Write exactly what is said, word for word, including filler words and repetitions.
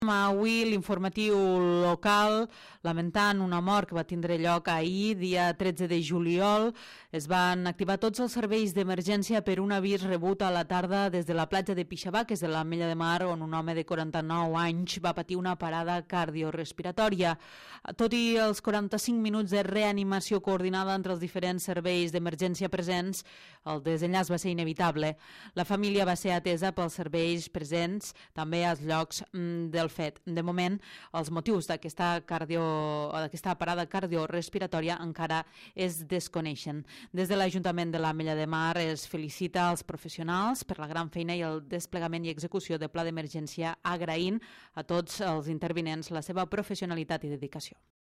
Avui l'informatiu local, lamentant una mort que va tindre lloc ahir, dia tretze de juliol, es van activar tots els serveis d'emergència per un avís rebut a la tarda des de la platja de Pixabà, que és de l'Ametlla de Mar, on un home de quaranta-nou anys va patir una parada cardiorespiratòria. Tot i els quaranta-cinc minuts de reanimació coordinada entre els diferents serveis d'emergència presents, el desenllaç va ser inevitable. La família va ser atesa pels serveis presents també als llocs mm, del fet. De moment, els motius d'aquesta cardio, d'aquesta parada cardiorespiratòria encara es desconeixen. Des de l'Ajuntament de l'Ametlla de Mar es felicita als professionals per la gran feina i el desplegament i execució de pla d'emergència, agraint a tots els intervinents la seva professionalitat i dedicació.